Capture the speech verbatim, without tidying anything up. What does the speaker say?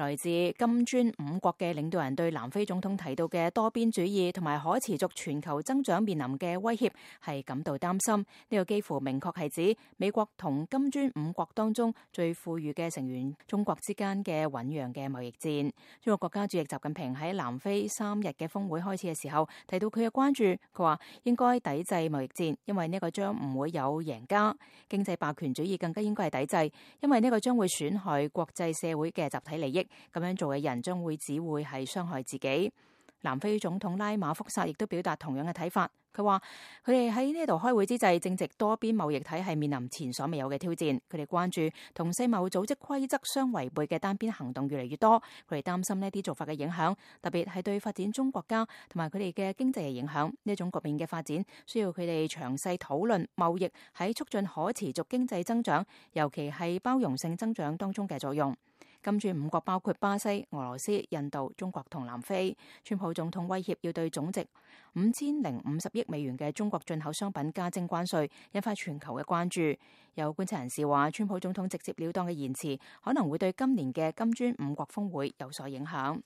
來自金磚五國嘅領導人對南非總統提到嘅多邊主義同埋可持續全球增長面臨嘅威脅係感到擔心。呢個幾乎明確係指美國同金磚五國當中最富裕嘅成員中國之間嘅醞釀嘅貿易戰。中國國家主席習近平喺南非三日嘅峰會開始嘅時候提到佢嘅關注，佢話應該抵制貿易戰，因為呢個將唔會有贏家。經濟霸權主義更加應該係抵制，因為呢個將會損害國際社會嘅集體利益。咁樣做嘅人將會只會係傷害自己。南非總統拉馬福薩亦都表達同樣嘅睇法，佢話佢哋喺呢度開會之際，正值多邊貿易體系面臨前所未有嘅挑戰。佢哋關注同世貿組織規則相違背嘅單邊行動越嚟越多，佢哋擔心呢啲做法嘅影響，特別係對發展中國家同埋佢哋嘅經濟嘅影響。呢種局面嘅發展需要佢哋詳細討論貿易喺促進可持續經濟增長，尤其係包容性增長當中嘅作用。金磚五國包括巴西、俄羅斯、印度、中國同南非。川普總統威脅要對總值五千零五十億美元嘅中國進口商品加徵關稅，引發全球嘅關注。有觀察人士話，川普總統直接了當嘅言辭可能會對今年嘅金磚五國峰會有所影響。